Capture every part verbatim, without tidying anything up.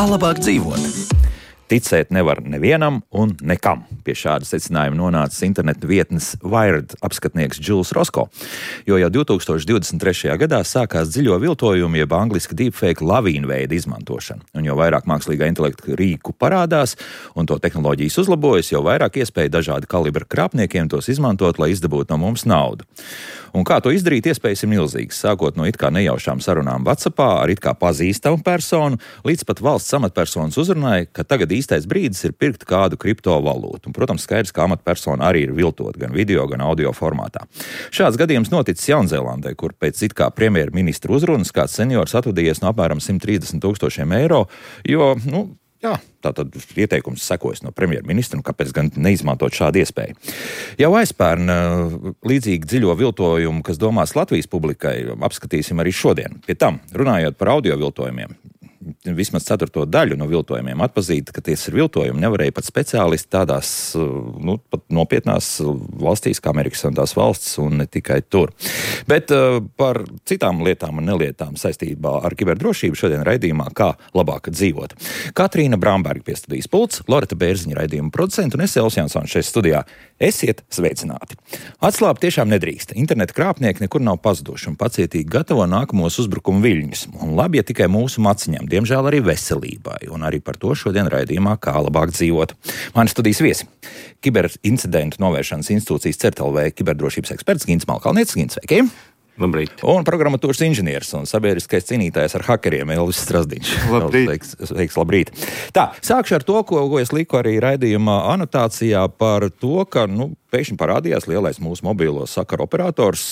Kā labāk dzīvot? Ticēt nevar nevienam un nekam. Pie šāda secinājuma nonācis interneta vietnes Wired apskatnieks Džuls Rosko, jo jau divtūkstoš divdesmit trešajā gadā sākās dziļo viltojumu, jeb angliski deepfake lavīnu veida izmantošana. Un jo vairāk mākslīgā intelekta rīku parādās un to tehnoloģijas uzlabojas, jo vairāk iespēja dažādi kalibra krāpniekiem tos izmantot, lai izdabūtu no mums naudu. Un kā to izdarīt, iespējas ir milzīgas, sākot no it kā nejaušām sarunām WhatsAppā ar it kā pazīstamu personu, līdz pat valsts amatpersonas uzrunai, ka tagad īstais brīdis ir pirkt kādu kriptovalūtu. Un, protams, skaidrs, ka amatpersona arī ir viltot gan video, gan audio formātā. Šāds gadījums noticis Jaunzēlandē, kur pēc it kā premjerministra uzrunas kāds seniors atvadījies no apmēram simt trīsdesmit tūkstošiem eiro, jo, nu, jā, tātad ieteikums sekojas no premjerministra, un kāpēc gan neizmantot šādu iespēju. Jau aizpērn līdzīgi dziļo viltojumu, kas domās Latvijas publikai, apskatīsim arī šodien. Pie tam, runājot par audio viltojumiem, vismaz ceturto daļu no viltojumiem atpazīt, ka tie ir viltojumi, nevarēja pat speciālisti tādās, nu, pat nopietnās valstīs, kā Amerikas Savienotās valsts, un ne tikai tur. Bet uh, par citām lietām un nelietām saistībā ar kiberdrošību šodien raidījumā Kā labāk dzīvot. Katrīna Bramberga pie studijas pults, Loreta Bērziņa raidījuma producenta un es Elvis Jansons šeit studijā. Esiet sveicināti. Atslābt tiešām nedrīkst. Interneta krāpnieki nekur nav pazuduši un pacietīgi gatavo nākamos uzbrukumu viļņus. Un labi, ja tikai mūsu maciņām, diemžēl arī veselībai, un arī par to šodien raidījumā Kā labāk dzīvot. Mani studijas viesi. Kiberincidentu novēršanas institūcijas CERT.lv kiberdrošības eksperts Gints Malkalnietis. Gints, sveiki! Labrīt. Un programmatūras inženieris un sabiedriskais cīnītājs ar hakeriem Elvis Strasdiņš. Labrīt. Sveiks, sveiks, labrīt. Tā, sākšu ar to, ko, ko es liku arī raidījumā anotācijā par to, ka, nu, pēkšņi parādījās lielais mūsu mobilo sakaru operators,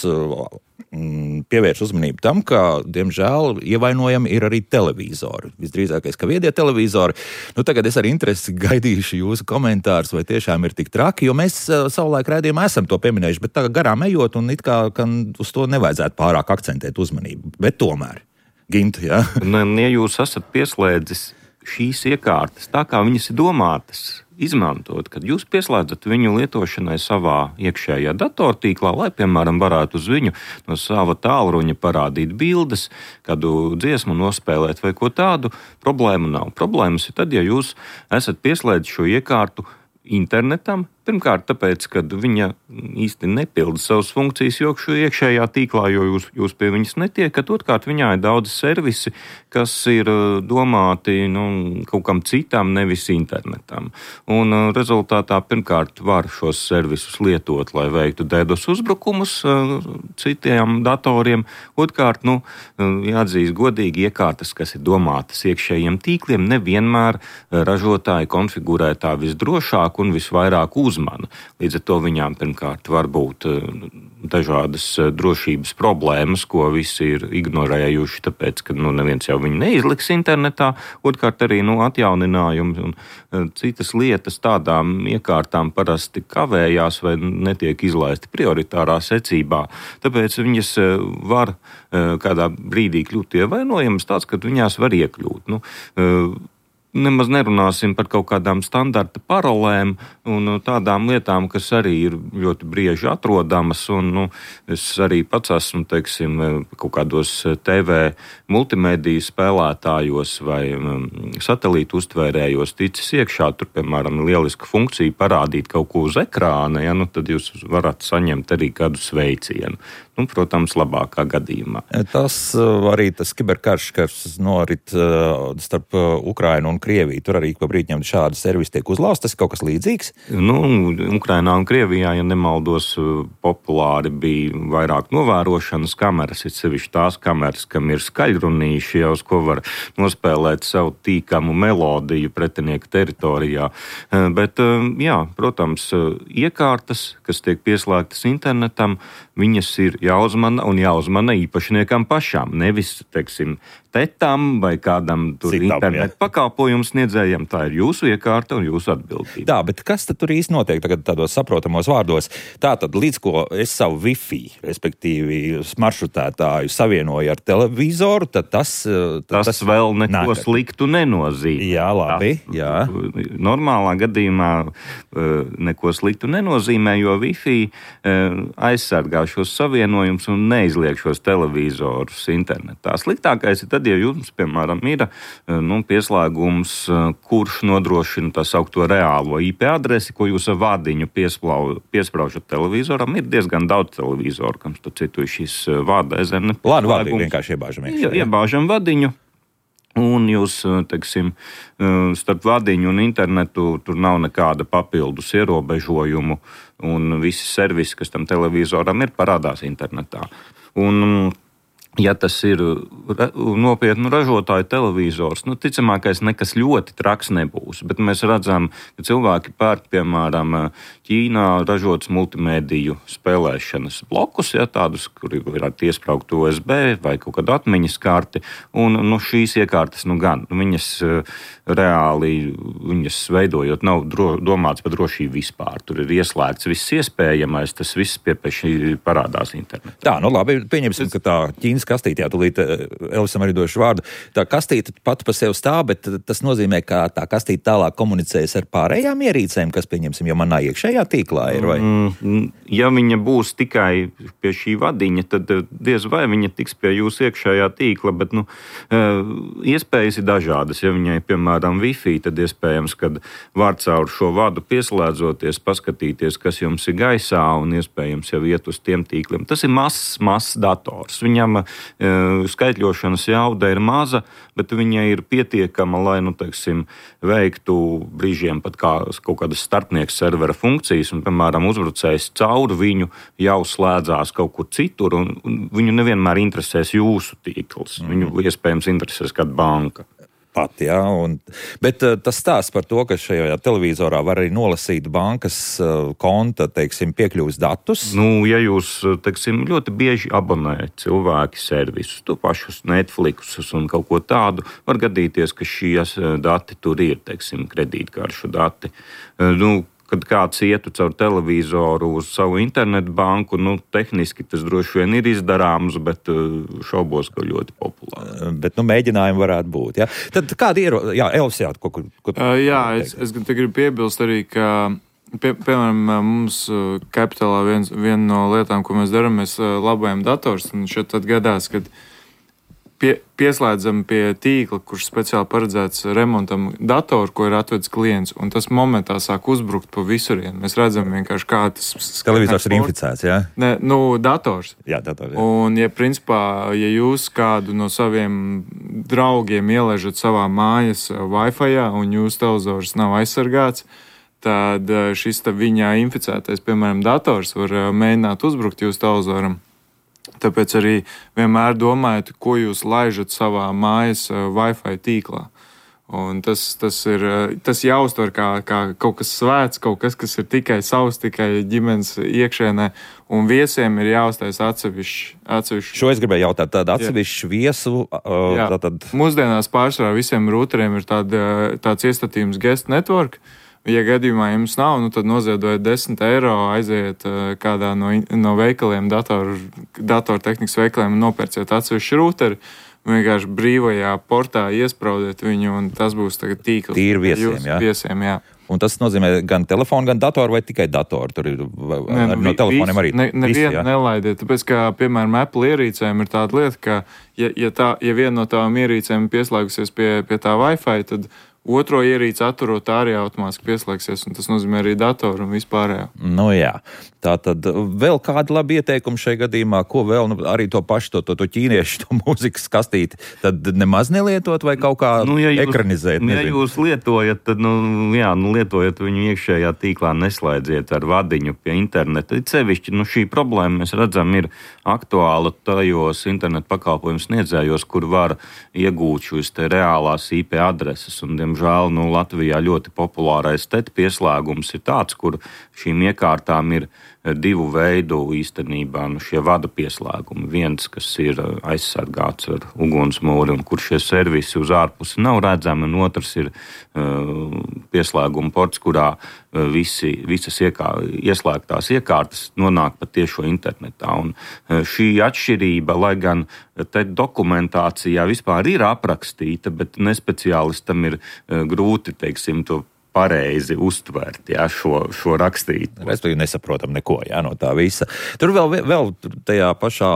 mm, pievērš uzmanību tam, ka, diemžēl, ievainojami ir arī televizori. Visdrīzākais, ka viedie televizori. Nu, tagad es ar interesi gaidīšu jūsu komentārus, vai tiešām ir tik traki, jo mēs savulaik raidījumā esam to pieminējuši, bet tagad garām ejot un it kā, ka uz to nevajadzētu pārāk akcentēt uzmanību. Bet tomēr, Gintu, jā? Un, ja jūs esat pieslēdzis šīs iekārtas tā, kā viņas ir domātas izmantot, kad jūs pieslēdzat viņu lietošanai savā iekšējā datortīklā, lai, piemēram, varētu uz viņu no sava tālruņa parādīt bildes, kādu dziesmu nospēlēt vai ko tādu, problēmu nav. Problēmas ir tad, ja jūs esat pieslēdzis šo iekārtu internetam, pirmkārt tāpēc, ka viņa īsti nepilda savas funkcijas jokšu iekšējā tīklā, jo jūs, jūs pie viņas netiekat. Otrkārt, viņā ir daudz servisi, kas ir domāti, nu, kaut kam citam, nevis internetam. Un rezultātā pirmkārt var šos servisus lietot, lai veiktu DDoS uzbrukumus citiem datoriem. Otrkārt, nu, jāatzīst godīgi, iekārtas, kas ir domātas iekšējiem tīkliem, nevienmēr ražotāji konfigurē tā visdrošāk un visvairāk uzmanīgi. Uzmana. Līdz ar to viņām pirmkārt var būt dažādas drošības problēmas, ko visi ir ignorējuši, tāpēc, ka nu, neviens jau viņu neizliks internetā. Otrkārt arī nu, atjauninājumi un citas lietas tādām iekārtām parasti kavējās vai netiek izlaisti prioritārā secībā. Tāpēc viņas var kādā brīdī kļūt ievainojamas tāds, ka viņās var iekļūt. Nu, Nemaz nerunāsim par kaut kādām standarta parolēm un tādām lietām, kas arī ir ļoti brieži atrodamas. Un, nu, es arī pats esmu, teiksim, kaut kādos T V multimediju spēlētājos vai um, satelītu uztvērējos ticis iekšā. Tur, piemēram, lieliska funkcija parādīt kaut ko uz ekrāna, ja, nu, tad jūs varat saņemt arī kādu sveicienu. Nu, protams, labākā gadījumā. Tas arī tas kiberkarš, kas norit starp Ukrainu un Krieviju. Tur arī pa brīdņam šādi servisi tiek uzlausti. Tas ir kaut kas līdzīgs? Nu, Ukrainā un Krievijā, ja nemaldos, populāri bija vairāk novērošanas kameras, ir sevišķi tās kameras, kam ir skaļrunīši, jau uz ko var nospēlēt savu tīkamu melodiju pretinieka teritorijā. Bet, jā, protams, iekārtas, kas tiek pieslēgtas internetam, viņas ir jāuzmana un jāuzmana īpašniekam pašām. Nevis, teiksim, tetam vai kādam tur Citam, internetu pakalpojumu sniedzējiem. Tā ir jūsu iekārta un jūsu atbildība. Tā, bet kas tad tur īsti notiek tagad tādos saprotamos vārdos? Tātad, līdz ko es savu Wi-Fi, respektīvi maršrutētāju savienoju ar televizoru, tad tas... Tas, tas vēl neko nāk. Sliktu nenozīmē. Jā, labi, tas, jā. Normālā gadījumā neko sliktu nenozīmē, jo Wi-Fi aizsargā šos savienojumus un neizliek šos televizorus internetā. Sliktākais ir tad, ja jums, piemēram, ir nu, pieslēgums, kurš nodrošina tā saukto reālo I P adresi, ko jūs ar vadiņu piespraužat televizoram. Ir diezgan daudz televizoru, kam tu citu šīs vada ezerne. Lānu vadiņu vienkārši iebāžam. Jā, iebāžam vadiņu. Un jūs, teiksim, starp vadiņu un internetu tur nav nekāda papildus ierobežojumu, un visi servisi, kas tam televizoram ir, parādās internetā. Un, ja tas ir nopietnu ražotāju televizors, nu, ticamākais nekas ļoti traks nebūs, bet mēs redzam, ka cilvēki pērk, piemēram, Ķīnā ražotas multimēdiju spēlēšanas blokus, ja, tādus, kuri ir iespraugt U S B vai kaut kādu atmiņas karti, un nu, šīs iekārtas, nu gan, viņas reāli, viņas veidojot, nav dro, domāts par drošību vispār. Tur ir ieslēgts viss iespējamais, tas viss piepeši parādās internetā. Tā, nu labi, pieņemsim, ka tā Ķīnas kastīte, jā, tūlīt Elvisam arī došu vārdu, tā kastīte pat pa sev stāv, bet tas nozīmē, ka tā kastīte tālāk komunicēs ar pārējām ierīcēm, kas, pieņemsim, jau manā iekšējā tīklā ir, vai? Ja viņa būs tikai pie šī vadiņa, tad diez vai viņa tiks pie jūsu iekšējā tīkla, bet, nu, iespējas ir dažādas. Ja viņai, piemēram, Wi-Fi, tad iespējams, kad var caur šo vadu pieslēdzoties, paskatīties, kas jums ir gaisā, un iespējams jau iet uz tiem tīkliem. Tas ir mazs, mazs dators. Viņam skaitļošanas jauda ir maza, bet viņa ir pietiekama, lai, nu, teiksim, veiktu brīžiem pat kā kaut kādas starpnieks servera funkcijas, un, piemēram, uzbrucējs caur viņu jau slēdzās kaut kur citur, un, un viņu nevienmēr interesēs jūsu tīkls. Viņu mm. iespējams interesēs kāda banka. Pat, jā, un, bet uh, tas stāsts par to, ka šajā televizorā var arī nolasīt bankas uh, konta, teiksim, piekļuvis datus. Nu, ja jūs, teiksim, ļoti bieži abonējat cilvēki servisus, to pašus Netflixus un kaut ko tādu, var gadīties, ka šīs dati tur ir, teiksim, kredītkaršu dati. Uh, nu, kad kāds ietu caur televizoru uz savu internetu banku, nu, tehniski tas droši vien ir izdarāms, bet šaubos, ka ļoti populārs. Bet, nu, mēģinājumi varētu būt, jā. Tad kādi ir, jā, Elvis, jā, ko, ko, ko uh, Jā, es, es te gribu piebilst arī, ka, pie, piemēram, mums Capitalā viens, viena no lietām, ko mēs darām, mēs labojam dators, un šeit tad gadās, kad Pie, pieslēdzam pie tīkla, kurš speciāli paredzēts remontam datoru, ko ir atvedis klients, un tas momentā sāk uzbrukt pa visurienu. Mēs redzam vienkārši, kā tas... Televizors ir inficēts, jā? Ne, nu, dators. Jā, dators, jā. Un, ja principā, ja jūs kādu no saviem draugiem ielaižat savā mājas Wi-Fi-ā, un jūsu televizors nav aizsargāts, tad šis tā viņā inficētais, piemēram, dators var mēģināt uzbrukt jūsu televizoram. Tāpēc arī vienmēr domājiet, ko jūs laižat savā mājas Wi-Fi tīklā. Un tas, tas ir tas jāuztver kā, kā kaut kas svēts, kaut kas, kas ir tikai savs, tikai ģimenes iekšēnē, un viesiem ir jāuztais atsevišķi. atsevišķi. Šo es gribēju jautāt, tādu atsevišķu viesu. Uh, tātad... Mūsdienās pārsvarā visiem routeriem ir tāda, tāds iestatījums guest network. Ja gadījumā jums nav, nu tad noziedojiet desmit eiro, aiziet uh, kādā no, no veikaliem, datoru, datortehnikas veikaliem un nopērciet atsevišķu routeri. Vienkārši brīvajā portā iespraudiet viņu, un tas būs tagad tīkls. Tīri viesiem, jā? Viesiem, jā. Un tas nozīmē gan telefonu, gan datoru, vai tikai datoru? Tur ir ne, no vi, telefoniem arī. Ne, nevienu nelaidiet, tāpēc, ka, piemēram, Apple ierīcēm ir tāda lieta, ka, ja, ja, tā, ja viena no tām ierīcēm pieslēgusies pie, pie tā Wi-Fi, tad otro ierīci atturot arī automātiski pieslēgsies, un tas nozīmē arī datoru un vispārējo. Nu jā, tā tad vēl kādi labi ieteikumi šajā gadījumā, ko vēl, nu, arī to pašu, to, to, to ķīniešu, to mūzikas kastīti, tad nemaz nelietot vai kaut kā nu, ja jūs, ekranizēt? Ja jūs lietojat, tad, nu, jā, nu, lietojat viņu iekšējā tīklā, neslēdziet ar vadiņu pie interneta. Cevišķi, nu, šī problēma, mēs redzam, ir aktuāla tajos internetu pakalpojumu sniedzējos, kur var iegūt šīs te reālās I P adreses, un, diemžēl, nu, Latvijā ļoti populārais T E T pieslēgums ir tāds, kur šīm iekārtām ir divu veidu īstenībā nu, šie vada pieslēgumi. Viens, kas ir aizsargāts ar ugunsmūri un kur šie servisi uz ārpusi nav redzami, un otrs ir uh, pieslēguma ports, kurā uh, visi, visas iekār, ieslēgtās iekārtas nonāk pa tiešo internetā. Un uh, šī atšķirība, lai gan te dokumentācijā vispār ir aprakstīta, bet nespeciālistam ir uh, grūti, teiksim, to pareizi uztvert, jā, šo, šo rakstītu. Respektīvi nesaprotam neko, jā, no tā visa. Tur vēl, vēl tajā pašā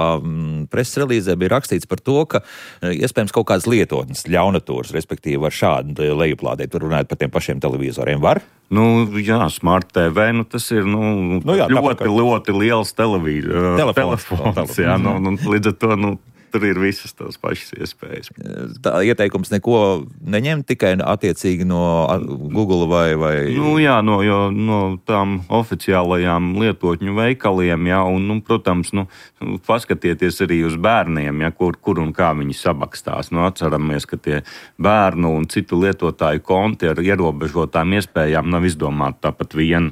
preses relīzē bija rakstīts par to, ka iespējams kaut kādas lietotnes ļaunatūras, respektīvi var šādi lejuplādēt, tur runājot par tiem pašiem televizoriem, var? Nu, jā, Smart T V, nu, tas ir, nu, nu jā, ļoti, tāpēc, ļoti liels televīzors. Telefons, telefons, jā, nu, nu, līdz ar to, nu, tur ir visas tās pašas iespējas. Tā ieteikums neko neņem, tikai attiecīgi no Google vai... vai... Nu jā, no, jo, no tām oficiālajām lietotņu veikaliem, jā, un, nu, protams, nu, paskatieties arī uz bērniem, jā, kur, kur un kā viņi sabakstās. Nu, atceramies, ka tie bērnu un citu lietotāju konti ar ierobežotām iespējām nav izdomāti tāpat vien.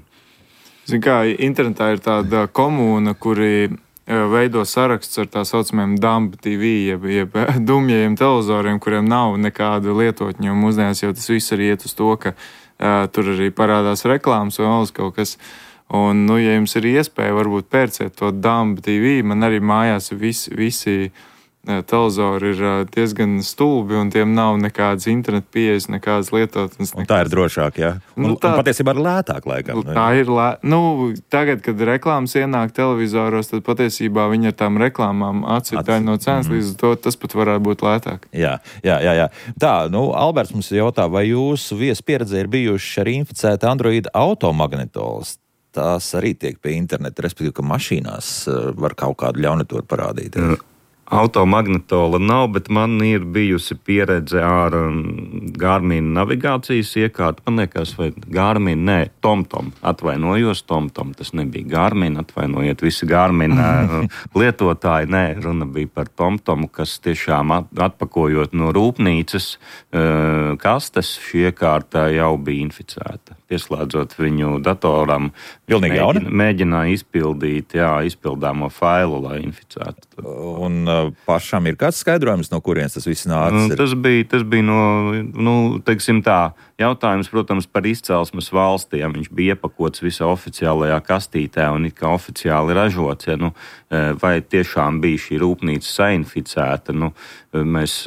Zin kā, internetā ir tāda komūna, kuri veido saraksts ar tā saucamiem dumb T V, jeb, jeb dumjajiem televizoriem, kuriem nav nekāda lietotņa, un mūsdienās jau tas viss arī iet uz to, ka uh, tur arī parādās reklāmas vai vēl kaut kas. Un, nu, ja jums ir iespēja, varbūt pērciet to dumb T V, man arī mājās visi, visi televizori ir diezgan stulbi, un tiem nav nekādas internet pieejas, nekādas lietotnes. Un tā ir drošāk, jā? Un, nu, tā, un patiesībā ir lētāk, laikam. Tā ir lē... Nu, tagad, kad reklāmas ienāk televizoros, tad patiesībā viņi ar tām reklāmām atcīt daļu no cenas, mm. līdz to tas pat varētu būt lētāk. Jā, jā, jā, jā. Tā, nu, Alberts mums jautā, vai jūsu viesu pieredzē ir bijuši arī inficēti Android automagnetols? Tās arī tiek pie interneta, respektīvi, ka mašīnās var kaut kādu ļaunatūru parādīt. Jā. Automagnetola nav, bet man ir bijusi pieredze ar um, Garmin navigācijas iekārtu. Man liekas, vai Garmin, nē, TomTom. Atvainojos, TomTom. Tas nebija Garmin, atvainojiet visi Garmin lietotāji. Nē, runa bija par TomTomu, kas tiešām atpakojot no rūpnīcas uh, kastes, šī iekārta jau bija inficēta. Pieslēdzot viņu datoram, mēģina, mēģināja izpildīt, jā, izpildāmo failu, lai inficētu. Un uh, pašam ir kāds skaidrojums, no kurienes tas viss nācis? Tas bija, tas bija no, nu, teiksim tā, jautājums, protams, par izcelsmes valstī. Ja viņš bija iepakots visā oficiālajā kastītē un it kā oficiāli ražots, ja, nu, vai tiešām bija šī rūpnīca sainficēta, nu, mēs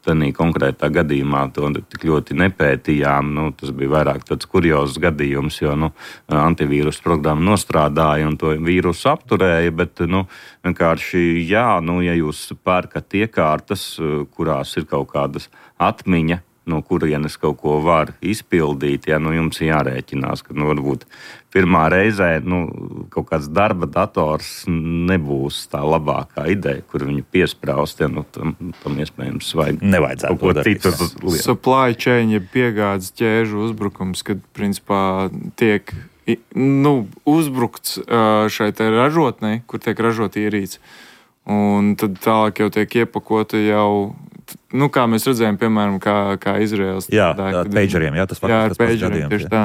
tādā konkrētā gadījumā to tik ļoti nepētījām. Nu, tas bija vairāk tāds kuriozs gadījums, jo nu, antivīrus programma nostrādāja un to vīrusu apturēja, bet nu, vienkārši jā, nu, ja jūs pērkat iekārtas, kurās ir kaut kādas atmiņa, no kurienes kaut ko var izpildīt, ja nu, jums jārēķinās, ka nu, varbūt pirmā reizē nu, kaut kāds darba dators nebūs tā labākā ideja, kur viņu piespraust, ja nu, tam, tam iespējams vajag nevajadzētu kaut ko citu. Supply chain, ja piegādes ķēžu uzbrukums, kad principā tiek nu, uzbrukts šai te ražotnei, kur tiek ražot ierīci. Un tad tālāk jau tiek iepakota jau, nu, kā mēs redzējām, piemēram, kā, kā Izraels. Jā, ar pageriem, jā, tas jā, ar pageriem, tieši tā.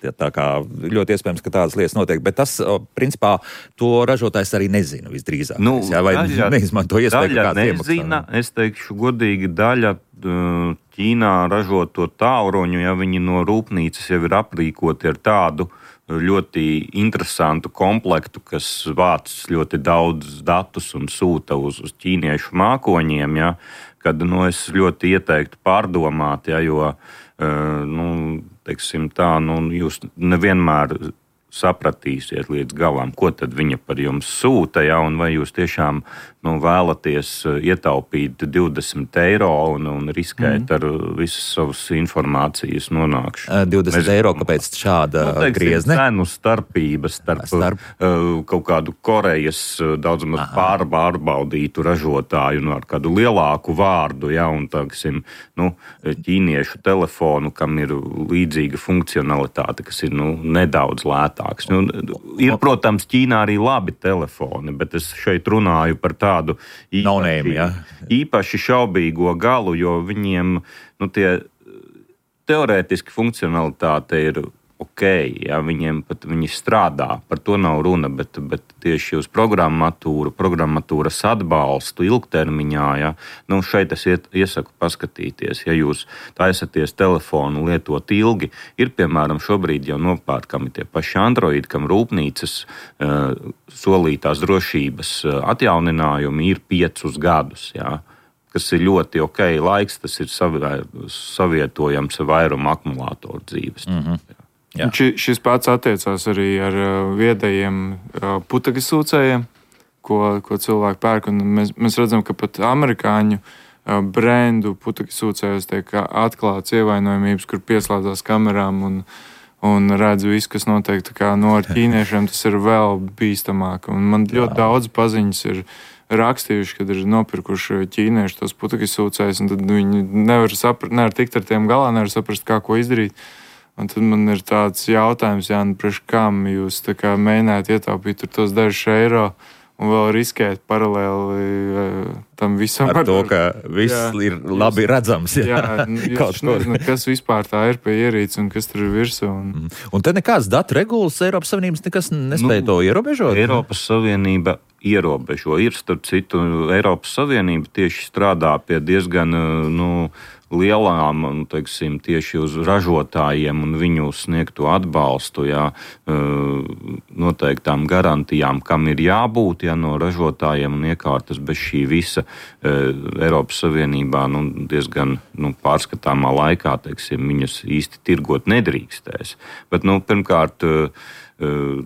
Jā, tā kā ļoti iespējams, ka tādas lietas notiek, bet tas, principā, to ražotājs arī nezina visdrīzāk. Nu, jā, vai daļa, neizmanto iespēju, ka kāds nezina, iemaksā. Es teikšu godīgi, daļa Ķīnā ražoto tālruņu, ja viņi no rūpnīcas jau ir aprīkoti ar tādu ļoti interesantu komplektu, kas vāc ļoti daudz datus un sūta uz, uz ķīniešu mākoņiem, ja, kad nu, es ļoti ieteiktu pārdomāt, ja, jo, nu, teiksim tā, nu, jūs nevienmēr sapratīsiet līdz galam, ko tad viņa par jums sūta, ja, un vai jūs tiešām nu, vēlaties ietaupīt divdesmit eiro un, un riskēt mm. ar visas savas informācijas nonākšanu. divdesmit Mēs, eiro, kāpēc šāda nu, teiksim, griezne? Cenu starpības starp, starp. Uh, kaut kādu Korejas daudz maz pārbaudītu ražotāju nu, ar kādu lielāku vārdu, ja, un, teiksim, nu, ķīniešu telefonu, kam ir līdzīga funkcionalitāte, kas ir nu, nedaudz lētāk. Nu, ir, protams, Ķīnā arī labi telefoni, bet es šeit runāju par tādu īpaši, name, ja? īpaši šaubīgo galu, jo viņiem nu, tie teorētiski funkcionalitāte ir ok, ja, viņiem pat viņi strādā, par to nav runa, bet, bet tieši uz programmatūru, programmatūras atbalstu ilgtermiņā, ja, nu šeit es iet, iesaku paskatīties, ja jūs taisaties telefonu lietot ilgi, ir piemēram šobrīd jau nopērkami tie paši Android, kam rūpnīcas uh, solītās drošības uh, atjauninājumi ir piecus gadus, ja. kas ir ļoti ok. Laiks, tas ir savietojams ar vairumu akumulātoru dzīves. Mm-hmm. Ši, šis pats attiecās arī ar viedajiem putekļu sūcējiem, ko, ko cilvēki pērk. Un mēs, mēs redzam, ka pat amerikāņu brendu putekļu sūcējos tiek atklāts ievainojamības, kur pieslēdzās kamerām un, un redz visu, kas notiek. Tā kā no ar ķīniešiem tas ir vēl bīstamāk. Un man ļoti Jā. daudz paziņas ir rakstījuši, kad ir nopirkuši ķīnieši tos putekļu sūcējus, un tad viņi nevar, saprast, nevar tikt ar tiem galā, nevar saprast, kā ko izdarīt. Un tad man ir tāds jautājums, Jāni, priekš kam jūs tā kā mēģināt ietaupīt tur tos dažus eiro un vēl riskēt paralēli tam visam. Ar to, ka viss jā, ir labi jūs, redzams. Jā, jā jūs nezināt, kas vispār tā ir pie ierīces un kas tur ir virsū. Un, un te nekāds datu regulas Eiropas Savienības nekas nespēja nu, to ierobežot? Eiropas Savienība ierobežo. Ir, starp citu, Eiropas Savienība tieši strādā pie diezgan, nu, lielām, teiksim, tieši uz ražotājiem un viņu sniegto atbalstu, jā, noteiktām garantijām, kam ir jābūt, jā, no ražotājiem un iekārtas bez šī visa Eiropas Savienībā, nu, diezgan, nu, pārskatāmā laikā, teiksim, viņas īsti tirgot nedrīkstēs. Bet, nu, pirmkārt,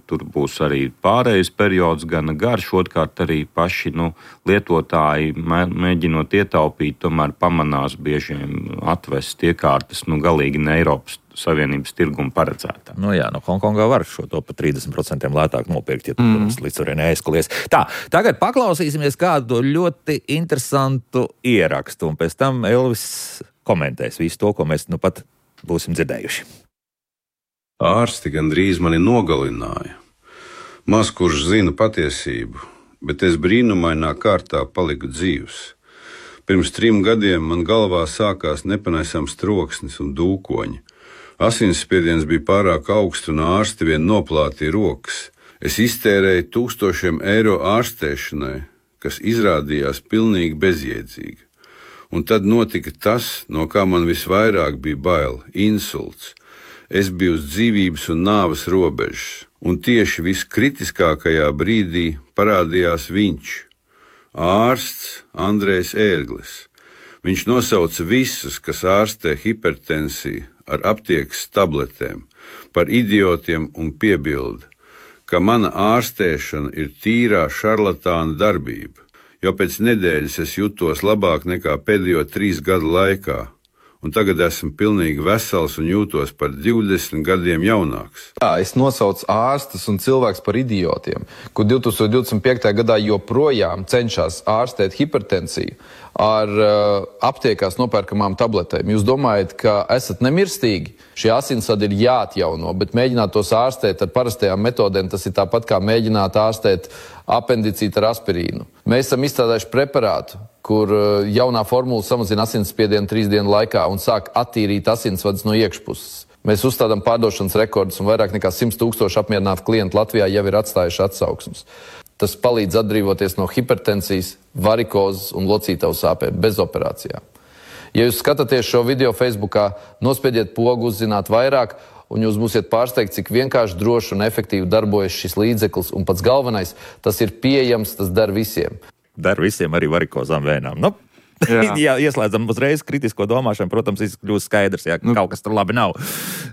tur būs arī pārējais periods, gan garš, otrkārt arī paši nu, lietotāji, mēģinot ietaupīt, tomēr pamanās biežiem atvest iekārtas nu, galīgi ne Eiropas Savienības tirgumu paredzētā. Nu jā, no Hongkongā var šo to par trīsdesmit procentiem lētāk nopirkt, ja tu mm. līdz turien neaizskalies. Tā, tagad paklausīsimies kādu ļoti interesantu ierakstu, un pēc tam Elvis komentēs visu to, ko mēs nu pat būsim dzirdējuši. Ārsti gandrīz mani nogalināja. Maz kurš zina patiesību, bet es brīnumainā kārtā paliku dzīvs. Pirms trim gadiem man galvā sākās nepanesams troksnis un dūkoņi. Asinsspiediens bija pārāk augsts un ārsti vien noplātīja rokas. Es iztērēju tūkstošiem eiro ārstēšanai, kas izrādījās pilnīgi bezjēdzīga. Un tad notika tas, no kā man visvairāk bija bail – insults. Es biju uz dzīvības un nāves robežas, un tieši viskritiskākajā brīdī parādījās viņš, ārsts Andrejs Ērglis. Viņš nosauca visus, kas ārstē hipertensiju ar aptiekas tabletēm, par idiotiem un piebilda, ka mana ārstēšana ir tīrā šarlatāna darbība, jo pēc nedēļas es jutos labāk nekā pēdējo trīs gadu laikā. Un tagad esmu pilnīgi vesels un jūtos par divdesmit gadiem jaunāks. Jā, es nosaucu ārstus un cilvēks par idiotiem, kur divtūkstoš divdesmit piektajā gadā joprojām cenšas ārstēt hipertensiju ar uh, aptiekās nopērkamām tabletēm. Jūs domājat, ka esat nemirstīgi? Šie asinsvadi ir jāatjauno, bet mēģināt tos ārstēt ar parastajām metodēm, tas ir tāpat kā mēģināt ārstēt apendicītu ar aspirīnu. Mēs esam izstrādājuši preparātu, kur jaunā formula samazina asinsspiedienu trīs dienu laikā un sāk attīrīt asinsvadus no iekšpuses. Mēs uzstādām pārdošanas rekordus un vairāk nekā simts tūkstoši apmierinātu klientu Latvijā jau ir atstājuši atsauksmes. Tas palīdz atbrīvoties no hipertensijas, varikozes un locītavu sāpēm bez operācijām. Ja jūs skatāties šo video Facebookā, nospiediet pogu uzzināt vairāk, un jūs būsiet pārsteigti, cik vienkārši droši un efektīvi darbojas šis līdzeklis, un pats galvenais, tas ir pieejams, tas der visiem. Der visiem arī varikozām vēnām. Nu, ja ieslēdzam uzreiz kritisko domāšanu, protams, kļūst skaidrs, ja nu, kaut kas tur labi nav.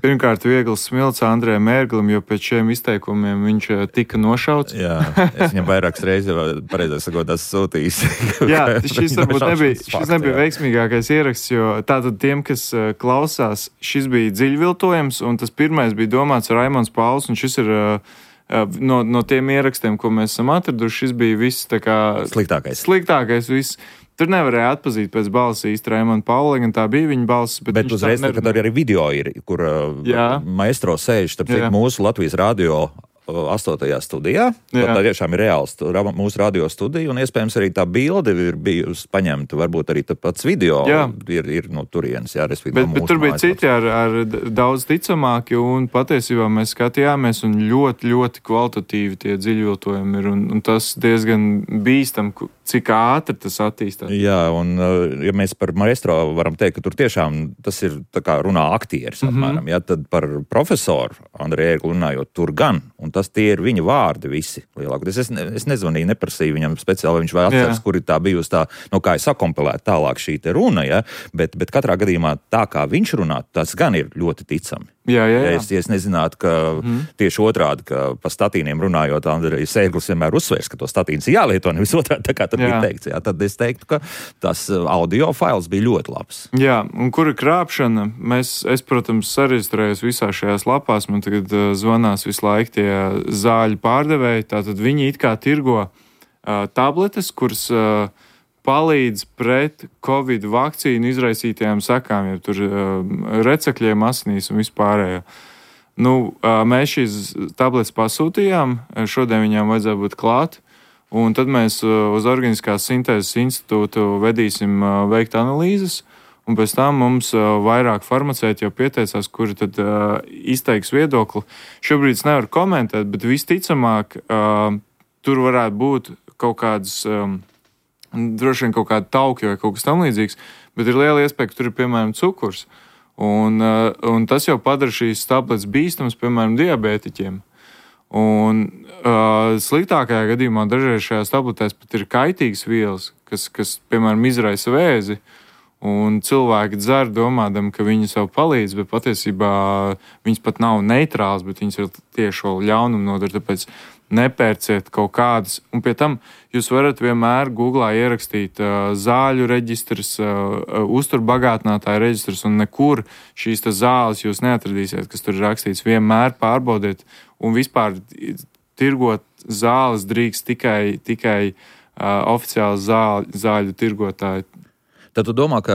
Pirmkārt, viegls smilts Andrejam Ērglim, jo pēc šiem izteikumiem viņš tika nošauts. Jā, es viņam vairākas reizes pareizāk sakot, tas sūtījis. Jā, šis varbūt nebija, šis nebija veiksmīgākais ieraksts, jo tātad tiem, kas klausās, šis bija dziļviltojums, un tas pirmais bija domāts Raimonds Pauls, un šis ir No, no tiem ierakstiem, ko mēs esam atraduši, šis bija viss tā kā sliktākais. Sliktākais viss. Tur nevarēja atpazīt pēc balss īsti Raimonda Paula, gan tā bija viņa balss. Bet, bet uzreiz, kad arī video ir, kur Jā. maestro sēž, starp citu mūsu Latvijas radio astotajā studijā. Tā tiešām ir reāls mūsu radio studija, un iespējams arī tā bilde ir bijusi paņemta, varbūt arī pats video ir, ir no turienes. Jā, bet, no bet tur bija citi ar, ar daudz ticamāki, un patiesībā mēs skatījāmies, un ļoti, ļoti kvalitatīvi tie dziļviltojumi ir, un, un tas diezgan bīstam, cik ātri tas attīstās. Jā, un ja mēs par maestro varam teikt, ka tur tiešām tas ir tā kā runā aktieris, mm-hmm. apmēram, ja, tad par profesoru Andreju Ērgli runājot tur gan, un tas tie ir viņa vārdi visi lielākoties. Es, ne, es nezvanīju, neprasīju viņam speciāli, vai viņš vai atceras, kur ir tā bijusi tā, nu kā ir sakompilēta tālāk šī te runa, ja, bet, bet katrā gadījumā tā, kā viņš runā, tas gan ir ļoti ticami. Jā, jā, jā. Ja es, ja es nezinātu, ka mm. tieši otrādi, ka pa statīniem runājot, Andrejs Ērglis vienmēr uzsvērs, ka to statīns ir jālieto, nevis otrādi, tā kā tad jā. bija teikts. Jā, tad es teiktu, ka tas audio fails bija ļoti labs. Jā, un kur ir krāpšana? Mēs, es, protams, sareģistrējos visā šajās lapās, man tagad uh, zvanās visu laiku tie zāļu pārdevēji, tātad viņi it kā tirgo uh, tabletes, kuras uh, palīdz pret Covid vakcīnu izraisītajām sekām, ja tur uh, recekļiem, asinīs un vispārējo. Nu, uh, mēs šīs tabletes pasūtījām, šodien viņām vajadzēja būt klāt, un tad mēs uh, uz Organiskās sintēzes institūtu vedīsim uh, veikt analīzes, un pēc tam mums uh, vairāk farmaceiti jau pieteicās, kuri tad uh, izteiks viedokli. Šobrīd es nevaru komentēt, bet visticamāk uh, tur varētu būt kaut kādas... Um, droši vien kaut kāda taukja vai kaut kas tam līdzīgs, bet ir liela iespēja, ka tur ir, piemēram, cukurs. Un, un tas jau padara šīs tabletes bīstamas, piemēram, diabētiķiem. Un uh, sliktākajā gadījumā dažreiz šajās tabletēs pat ir kaitīgas vielas, kas, kas piemēram, izraisa vēzi, un cilvēki dzer domādam, ka viņi sev palīdz, bet patiesībā viņas pat nav neitrāls, bet viņas ir tieši ļaunumu nodara, tāpēc nepērciet kaut kādas. Un pie tam jūs varat vienmēr Googlā ierakstīt uh, zāļu reģistrs, uh, uzturbagātinātāju reģistrs, un nekur šīs zāles jūs neatradīsiet, kas tur ir rakstīts. Vienmēr pārbaudiet, un vispār tirgot zāles drīkst tikai, tikai uh, oficiāli zāļu, zāļu tirgotāji. Tad tu domā, ka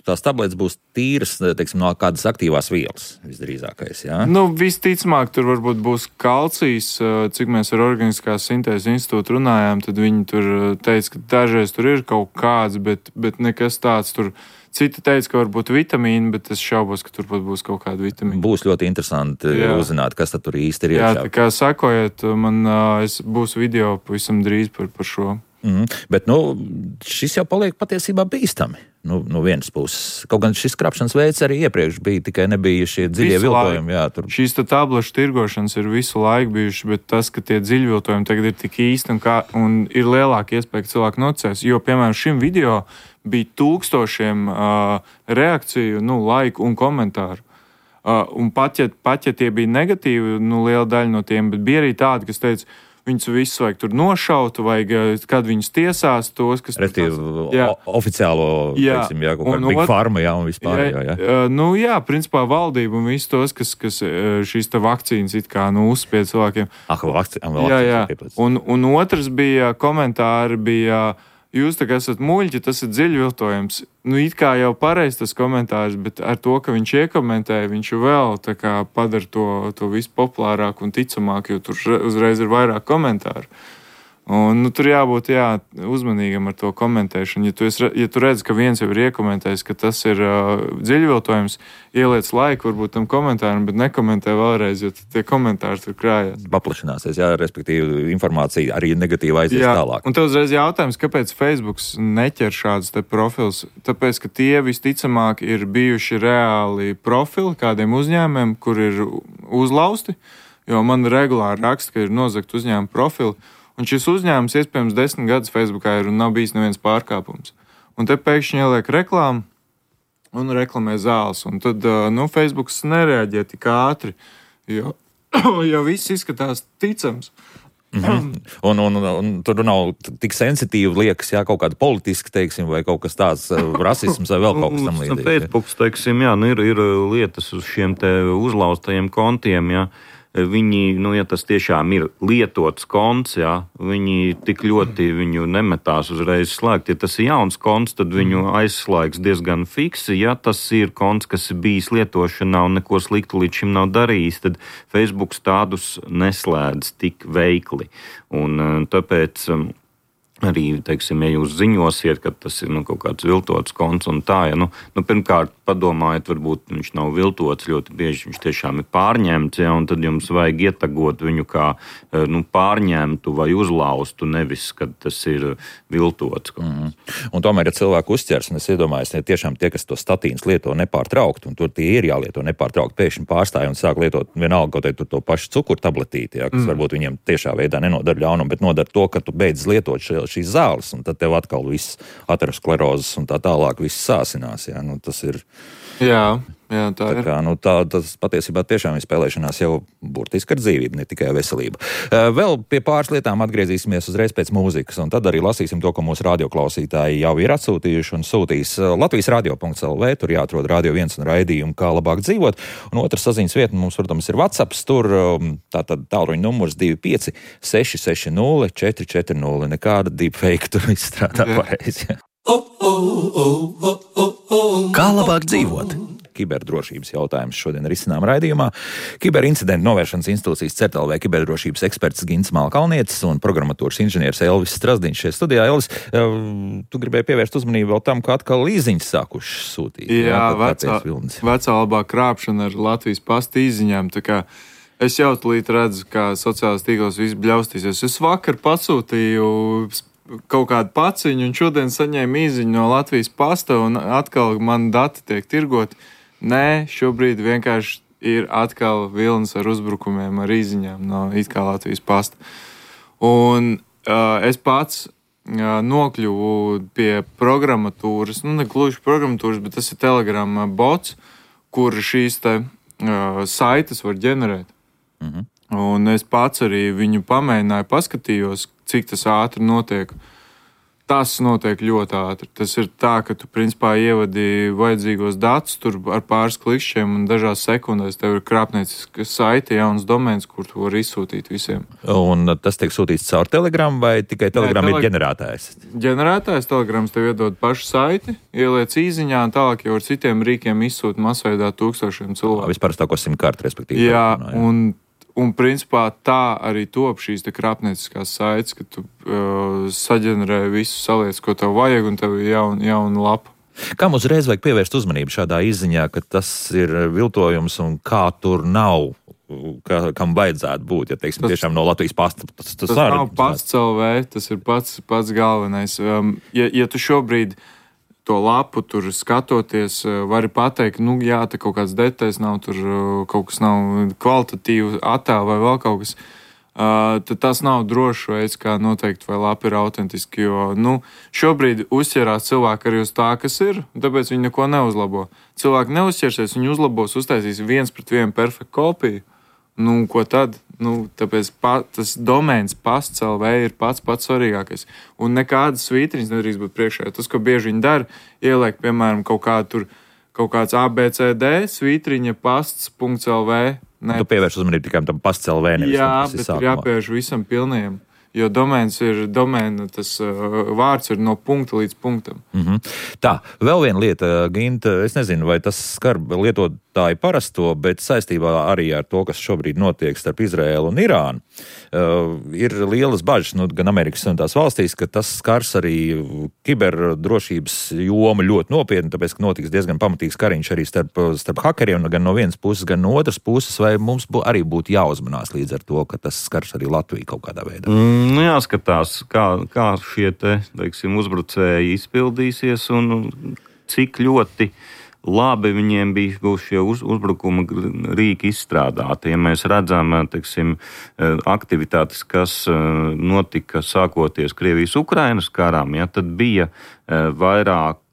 tās tabletes būs tīras, teiksim, no kādas aktīvās vielas visdrīzākais, jā? Nu, visticamāk, tur varbūt būs kalcijs, cik mēs ar Organiskās sintēzes institūtu runājām, tad viņi tur teica, ka dažreiz tur ir kaut kāds, bet, bet nekas tāds tur. Citi teica, ka varbūt vitamīni, bet es šaubos, ka tur būs kaut kāda vitamīna. Būs ļoti interesanti jā. uzzināt, kas tad tur īsti ir iekšā. Jā, tā kā sakojiet, man es, būs video pavisam drīz par, par šo. Mm, bet, nu, šis jau paliek patiesībā bīstami. Nu, no vienas puses. Kaut gan šis krāpšanas veids arī iepriekš bija, tikai nebija šie dziļie viltojumi. Jā, tur... Šīs tablešu tirgošanas ir visu laiku bijuši, bet tas, ka tie dziļi viltojumi tagad ir tik īsti un, kā, un ir lielāka iespēja, ka cilvēki nocēs. Jo, piemēram, šim video bija tūkstošiem uh, reakciju, nu, laiku un komentāru. Uh, un pat ja, pat, ja tie bija negatīvi, nu, liela daļa no tiem, bet bija arī tādi, kas teica, viņus visus vajag tur nošaut, vajag, kad viņus tiesās tos, kas... Respektīvi, oficiālo, jā. teiksim, jā, kaut kāda big pharma, jā, un vispār, jā, jā. jā. Nu, jā, principā valdība un visus tos, kas, kas šīs te vakcīnas it kā, nu, uzspied cilvēkiem. Ah, vakcīna, vēl jā, jā. Un, un otrs bija, komentāri bija, jūs tā kā esat muļķi, tas ir dziļi viltojums. Nu, it kā jau pareizi tas komentārs, bet ar to, ka viņš iekomentēja, viņš vēl tā kā padara to, to visu populārāk un ticamāk, jo tur uzreiz ir vairāk komentāru. Un, nu, tur jābūt jā, uzmanīgam ar to komentēšanu. Ja tu, es, ja tu redz, ka viens jau ir iekomentējis, ka tas ir uh, dziļviltojums, ieliec laiku varbūt tam komentāram, bet nekomentē vēlreiz, jo tie komentāri tur krājās. Paplašināsies, jā, respektīvi informācija arī negatīva aizies jā, tālāk. Un tev uzreiz jautājums, kāpēc Facebooks neķer šādus te profils? Tāpēc, ka tie visticamāk ir bijuši reāli profili kādiem uzņēmumiem, kur ir uzlausti, jo man regulāri raksta, ka ir nozagt uzņēmumu profili. Un šis uzņēmums iespējams desmit gadus Facebookā ir un nav bijis neviens pārkāpums. Un te pēkšņi ieliek reklāmu un reklamē zāles. Un tad, nu, Facebooks nereaģē tik ātri, jo, jo viss izskatās ticams. Mm-hmm. Un, un, un, un tur nav tik sensitīvi liekas, jā, kaut kāda politiska, teiksim, vai kaut kas tāds, rasisms vai vēl kaut kas tam līdzīgs. Pēcpuks, teiksim, jā, nu ir, ir lietas uz šiem te uzlaustajiem kontiem, jā. Viņi, nu, ja tas tiešām ir lietots konts, jā, viņi tik ļoti viņu nemetās uzreiz slēgt. Ja tas ir jauns konts, tad viņu aizslēgs diezgan fiksi. Ja tas ir konts, kas ir bijis lietošanā un neko sliktu līdz šim nav darījis, tad Facebooks tādus neslēdz tik veikli. Un tāpēc Arī, teiksim, ja jūs ziņosiet, ka tas ir nu, kaut kāds viltots konts un tā, ja, nu, nu, pirmkārt, padomājiet, varbūt viņš nav viltots, ļoti bieži viņš tiešām ir pārņemts, ja, un tad jums vajag ietagot viņu kā nu, pārņemtu vai uzlaustu, nevis, kad tas ir viltots. Mm. Un tomēr, ja cilvēku uzķers, un es iedomājos, ja tiešām tie, kas to statīnas lieto nepārtraukt, un tur tie ir jālieto nepārtraukt, pēkšņi pārstāja un sāk lietot vienalga kaut vai to pašu cukuru tabletīti, ja, kas mm. varbūt viņiem tiešā veidā nenodara ļaunumu, bet nodara to, ka tu beidz lietot šo šīs zāles, un tad tev atkal viss aterosklerozes un tā tālāk viss sāsinās. Jā, nu, tas ir... Jā, jā, tā, tā ir. Kā, nu, tā, tas patiesībā tiešām ir spēlēšanās jau burtiski ar dzīvību, ne tikai veselību. Vēl pie pāris lietām atgriezīsimies uzreiz pēc mūzikas, un tad arī lasīsim to, ko mūsu radioklausītāji jau ir atsūtījuši un sūtīs Latvijas radio punkts el vē, tur jāatrod Radio viens un raidījumu, kā labāk dzīvot. Un otrs saziņas vieta mums, protams, ir WhatsApp, tur tātad tālruņa numurs divi pieci seši seši nulle četri četri nulle. Nekāda deepfake tur izstrādā pareizi. Kā labāk dzīvot? Kiberdrošības jautājums šodien risinām raidījumā. Kiberincidentu novēršanas institūcijas C E R T L V kiberdrošības eksperts Gints Malkalnietis un programmatūras inženieris Elvis Strasdiņš šeit studijā. Elvis, tu gribēji pievērst uzmanību vēl tam, ka atkal līziņas sākušas sūtīt. Jā, jā vecā, vecā labā krāpšana ar Latvijas pasta īziņām. Tā kā es jau tūlīt redzu, kā sociālās tīklos viss bļaustīsies. Es vakar pasūtīju kaut kādu paciņu un šodien saņēmu īziņu no Latvijas pasta un atkal man dati tiek tirgoti. Nē, šobrīd vienkārši ir atkal vilnis ar uzbrukumiem, ar īziņām no it kā Latvijas pasta. Un uh, es pats uh, nokļuvu pie programmatūras, nu ne gluži programmatūras, bet tas ir Telegram bots, kur šīs te uh, saites var ģenerēt. Mhm. Un es pats arī viņu pamēģināju, paskatījos, cik tas ātri notiek. Tas notiek ļoti ātri. Tas ir tā, ka tu principā ievadi vajadzīgos datus tur ar pāris klikšķiem un dažās sekundēs tev ir krāpnieciska saite, jauns domēns, kur tu vari izsūtīt visiem. Un tas tiek sūtīts caur Telegram vai tikai Telegram Nē, tele... ir ģenerētājs? Ģenerētājs Telegrams tev iedod pašu saiti, ieliec īziņā un tālāk jau ar citiem rīkiem izsūt masveidā tūkstošiem cilvēku. Vispār tāko simkarti, respektīvi. Jā, un Un, principā, tā arī top šīs krāpnieciskās saites, ka tu uh, saģenerē visu, saliec, ko tev vajag, un tev ir jauna, jauna lapa. Kam uzreiz vajag pievērst uzmanību šādā izziņā, ka tas ir viltojums un kā tur nav, kā, kam vajadzētu būt, ja teiksim, tas, tiešām no Latvijas pasta? Tas, tas, tas nav pats el vē, tas ir pats, pats galvenais. Um, ja, ja tu šobrīd to lapu tur skatoties, vari pateikt, nu jā, te kaut kāds detaļas nav, tur kaut kas nav kvalitatīvi attēl vai vēl kaut kas, uh, tad tas nav drošs veids, kā noteikt, vai lapa ir autentiski, jo, nu, šobrīd uzķerās cilvēki arī uz tā, kas ir, tāpēc viņi neko neuzlabo. Cilvēki neuzķersies, viņi uzlabos, uztaisīs viens pret vienu perfektu kopiju. Nu, ko tad? Nu, tāpēc pa, tas domēns pasts el vē ir pats pats svarīgākais. Un nekādas svītriņas nedrīkst būt priekšā. Tas, ko bieži viņi dara, ieliek, piemēram, kaut kādu tur, kaut kāds A B C D svītriņa pasts punkts el vē. Ne, tu pievērš uzmanību tikai tam pasts el vē, nevis jā, tam, bet ir jāpievērš visam pilnajam. Jo domēns ir, domēna, tas uh, vārds ir no punkta līdz punktam. Mm-hmm. Tā, vēl viena lieta, Ginta, es nezinu, vai tas skar lietotāju parasto, bet saistībā arī ar to, kas šobrīd notiek starp Izraēlu un Irānu, uh, ir lielas bažas, nu, gan Amerikas un tās valstīs, ka tas skars arī kiberdrošības jomu ļoti nopietni, tāpēc, ka notiks diezgan pamatīgs kariņš arī starp, starp hakeriem, gan no vienas puses, gan no otras puses, vai mums bū, arī būtu jāuzmanās līdz ar to, ka tas skars arī Latviju kaut kādā veidā? Mm. Nu, jāskatās, kā, kā šie te, teiksim, uzbrucēji izpildīsies un cik ļoti labi viņiem bija šie uz, uzbrukuma rīki izstrādāti. Ja mēs redzam, teiksim, aktivitātes, kas notika sākoties Krievijas-Ukrainas karām, ja, tad bija vairāk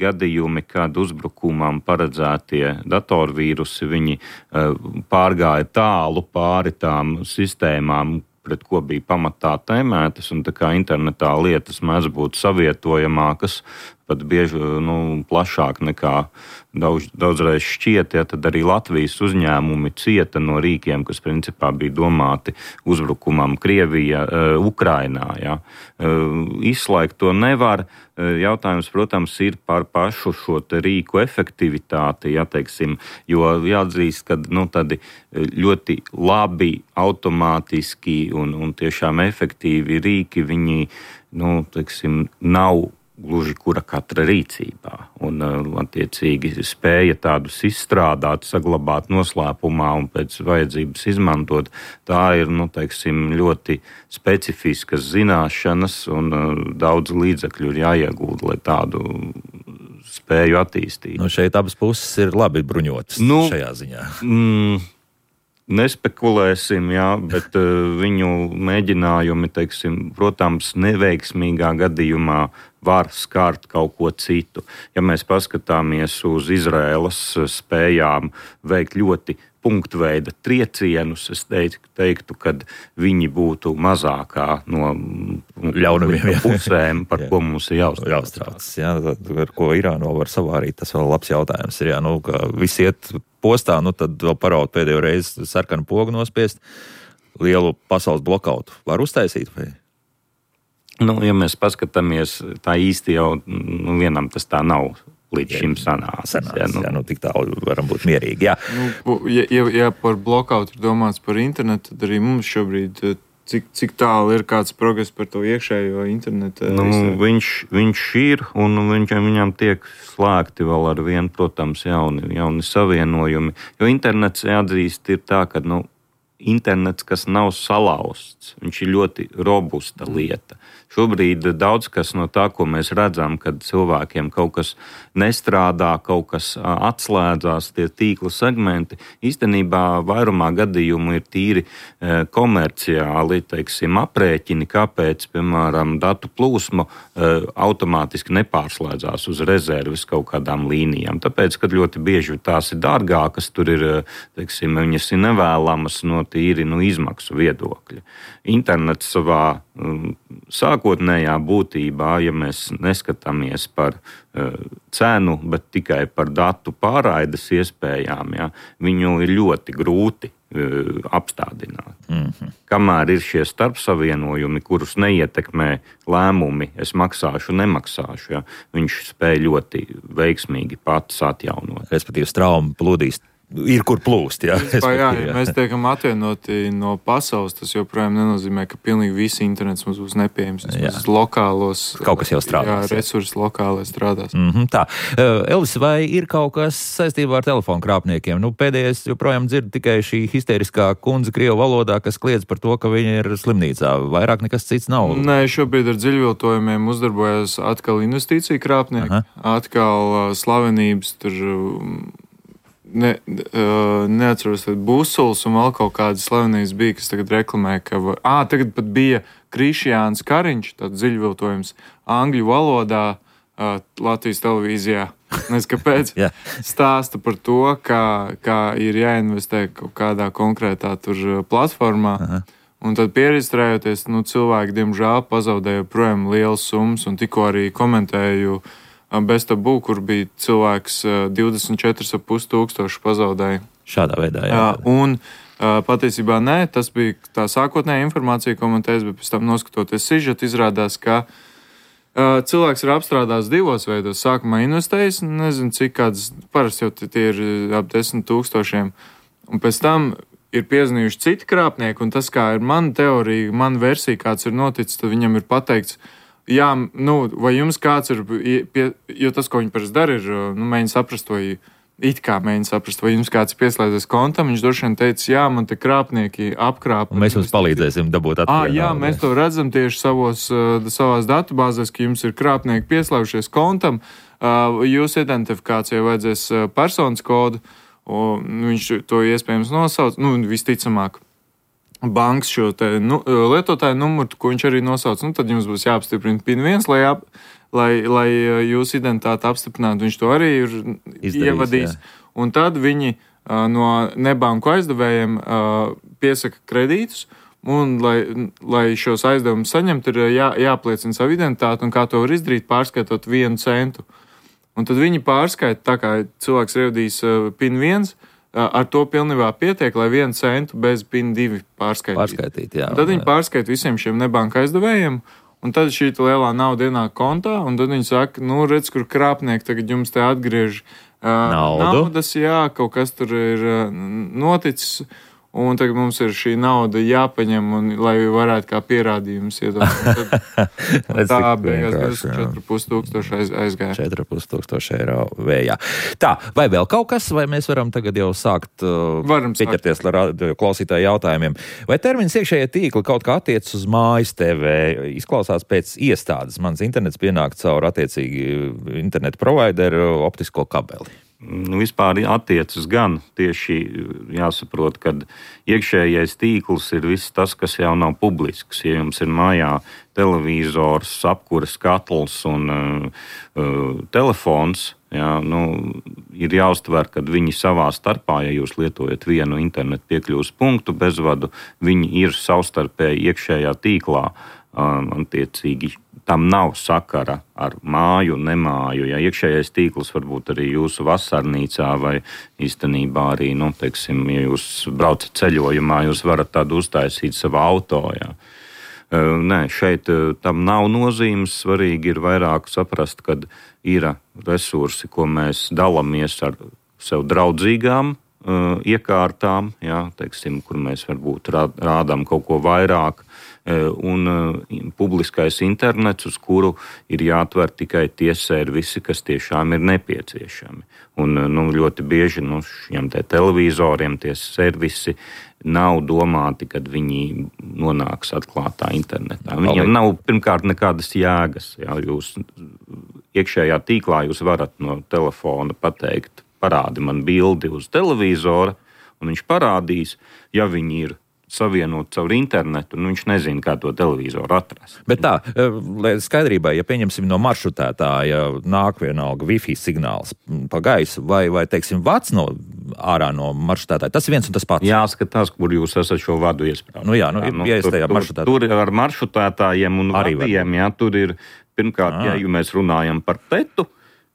gadījumi, kad uzbrukumam paredzētie datorvīrusi, viņi pārgāja tālu pāri tām sistēmām, pret ko bija pamatā tēmētas, un tā kā internetā lietas mēdz būt savietojamākas, pat bieži nu, plašāk nekā daudz, daudzreiz šķiet, ja, tad arī Latvijas uzņēmumi cieta no rīkiem, kas principā bija domāti uzbrukumam Krievija, Ukrainā. Ja. Izslēgt to nevar. Jautājums, protams, ir par pašu šo te rīku efektivitāti, ja, teiksim, jo jāatzīst, ka nu, tādi ļoti labi, automātiski un, un tiešām efektīvi rīki, viņi, nu, teiksim, nav gluži kura katra rīcībā. Un, attiecīgi, spēja tādus izstrādāt, saglabāt noslēpumā un pēc vajadzības izmantot, tā ir, nu, teiksim, ļoti specifiskas zināšanas un daudz līdzekļu ir jāiegūda, lai tādu spēju attīstītu. Nu, šeit abas puses ir labi bruņotas nu, šajā ziņā. Mm, Nespekulēsim, jā, bet uh, viņu mēģinājumi, teiksim, protams, neveiksmīgā gadījumā var skart kaut ko citu. Ja mēs paskatāmies uz Izraēlas spējām veikt ļoti punktveida triecienus, es teiktu, ka viņi būtu mazākā no ļaunumiem pusēm, par ko mums ir jāuztraucas. Jā, ar ko Irāno var savārīt, tas vēl labs jautājums ir. Jā, nu, ka visi iet postā, nu tad vēl paraud pēdējo reizi sarkanu pogu nospiest, lielu pasaules blokautu var uztaisīt vai? Nu, ja mēs paskatāmies, tā īsti jau nu, vienam tas tā nav līdz šim sanācis. Sanācis, jā, nu, jā, nu tik tālu varam būt mierīgi, jā. Nu, ja, ja, ja par blokautu ir domāts par internetu, tad arī mums šobrīd, cik, cik tālu ir kāds progress par to iekšējo internetu? Nu, viņš, viņš ir, un viņš, viņam tiek slēgti vēl ar vienu, protams, jauni, jauni savienojumi, jo internets, jāatzīst, ir tā, ka, nu, internets, kas nav salauzts, viņš ir ļoti robusta lieta. Šobrīd daudz kas no tā, ko mēs redzam, kad cilvēkiem kaut kas nestrādā, kaut kas atslēdzās, tie tīkla segmenti, īstenībā vairumā gadījumu ir tīri komerciāli, teiksim, aprēķini, kāpēc, piemēram, datu plūsma automātiski nepārslēdzās uz rezerves kaut kādām līnijām. Tāpēc, kad ļoti bieži tās ir dārgākas, tur ir, teiksim, viņas ir nevēlamas no tīri no izmaksu viedokļa. Internets savā um, sākotnējā būtībā, ja mēs neskatāmies par uh, cenu, bet tikai par datu pārraides iespējām, ja, viņu ir ļoti grūti uh, apstādināt. Mm-hmm. Kamēr ir šie starpsavienojumi, kurus neietekmē lēmumi, es maksāšu, nemaksāšu, ja, viņš spēj ļoti veiksmīgi pats atjaunot. Respektīvi, straumi plūdīs. Ir kur plūst, jā. Principā, jā, ja mēs tiekam atvienoti no pasaules, tas joprojām nenozīmē, ka pilnīgi visi internets mums būs nepieejams. Mums lokālos, kaut kas jau strādās. Jā, resursi lokālai strādās. Mm-hmm, tā. Elvis, vai ir kaut kas saistībā ar telefonu krāpniekiem? Nu, pēdējais joprojām dzird tikai šī histeriskā kundze krievu valodā, kas kliedz par to, ka viņa ir slimnīcā. Vairāk nekas cits nav. Nē, šobrīd ar dziļviltojumiem uzdarbojas atkal investīcija krāpnieki, Aha. atkal slavenības tur... Ne, uh, neatceros, tad Busuls un vēl kaut kādas slavenības bija, kas tagad reklamē, ka... Ā, tagad pat bija Krišjāns Kariņš, tāds dziļviltojums, angļu valodā uh, Latvijas televīzijā. Nezinu, kāpēc. yeah. Stāsta par to, kā, kā ir jāinvestē kaut kādā konkrētā tur platformā. Aha. Un tad pieregistrējoties, nu, cilvēki, diemžēl, pazaudēja projām lielas summas, un tikko arī komentēju Bez tabū, kur bija cilvēks divdesmit četri ar pus tūkstoši pazaudēja. Šādā veidā, jā. jā un patiesībā nē, tas bija tā sākotnējā informācija, ko man teica, bet pēc tam noskatoties sižetu, izrādās, ka uh, cilvēks ir apstrādājis divos veidos. Sākumā investējis, nezinu, cik kāds, parasti jau tie ir ap desmit tūkstošiem, un pēc tam ir piezvanījuši citi krāpnieki, un tas, kā ir mana teorija, mana versija, kāds ir noticis, tad viņam ir pateikts, jā, nu, vai jums kāds ir, pie, jo tas, ko viņi parasti dara, ir, nu, mēģina saprast, vai it kā mēģina saprast, vai jums kāds pieslēdzies kontam, viņš droši vien teica, jā, man te krāpnieki apkrāpa. Un mēs jums palīdzēsim dabūt atpakaļ. À, jā, naudu. Mēs to redzam tieši savos, savās datubāzēs, ka jums ir krāpnieki pieslēgušies kontam, jūsu identifikācijai vajadzēs personas kodu, un viņš to iespējams nosauc, nu, visticamāk. Bankas šo te, nu, lietotāju numuru, ko viņš arī nosauc, nu, tad jums būs jāapstiprina pin viens, lai, ap, lai, lai jūsu identitāti apstiprinātu. Viņš to arī ir Izdarīs, ievadījis. Jā. Un tad viņi uh, no nebanku aizdevējiem uh, piesaka kredītus, un, lai, lai šos aizdevumus saņemtu, ir jā, jāpliecina savu identitāti, un kā to var izdarīt, pārskaitot vienu centu. Un tad viņi pārskaita, tā kā cilvēks ievadīs uh, pin viens, uh, ar to pilnībā pietiek, lai vienu centu bez pin divi pārskaitītu. Pārskaitīt, jā. Un tad viņi pārskaita visiem šiem nebanka aizdevējiem, un tad šī lielā nauda ienāk kontā, un tad viņi saka, nu, redz, kur krāpnieki tagad jums te atgriež uh, naudas, jā, kaut kas tur ir uh, noticis, un tagad mums ir šī nauda jāpaņem, un, lai varētu kā pierādījums iedot. Tā beigās četri pus tūkstoši aiz, aizgāja. četri pus tūkstoši eiro vējā. Tā, vai vēl kaut kas, vai mēs varam tagad jau sākt uh, pieķerties klausītāju jautājumiem? Vai termins iekšējie tīkli kaut kā attiec uz mājas T V? Izklausās pēc iestādes. Mans internets pienāk caur attiecīgi internetu provideru optisko kabeli. Nu, vispār attiecas gan tieši jāsaprot, ka iekšējais tīkls ir viss tas, kas jau nav publisks. Ja jums ir mājā televizors, apkures katls un uh, uh, telefons, jā, nu, ir jāuztver, ka viņi savā starpā, ja jūs lietojat vienu internetu piekļuves punktu bezvadu, viņi ir savstarpēji iekšējā tīklā. Um, attiecīgi tam nav sakara ar māju, nemāju. Ja iekšējais tīkls varbūt arī jūsu vasarnīcā vai īstenībā arī, nu, teiksim, ja jūs braucat ceļojumā, jūs varat tādu uztaisīt savā auto, jā. Uh, nē, šeit uh, tam nav nozīmes. Svarīgi ir vairāk saprast, kad ir resursi, ko mēs dalamies ar sev draudzīgām uh, iekārtām, jā, teiksim, kur mēs varbūt rādām kaut ko vairāk, un uh, publiskais internets, uz kuru ir jāatver tikai tie servisi, kas tiešām ir nepieciešami. Un uh, nu, ļoti bieži nu, šiem te televizoriem tie servisi nav domāti, kad viņi nonāks atklātā internetā. Viņiem nav pirmkārt nekādas jēgas. Jā, jūs iekšējā tīklā jūs varat no telefona pateikt, parādi man bildi uz televizora, un viņš parādīs, ja viņi ir savienot caur internetu, un viņš nezina, kā to televizoru atrast. Bet tā, lai skaidrībai, ja pieņemsim no maršrutētāja nāk vienalga Wi-Fi signāls pa gaisu, vai, vai teiksim, vats no ārā no maršrutētāja, tas ir viens un tas pats. Jāskatās, kur jūs esat šo vadu iesprāst. Nu jā, nu, jā, nu, ja es tajā maršrutētājā. Tur, tur ar maršrutētājiem un arī vadiem, jā, tur ir, pirmkārt, jā, ja mēs runājam par tetu,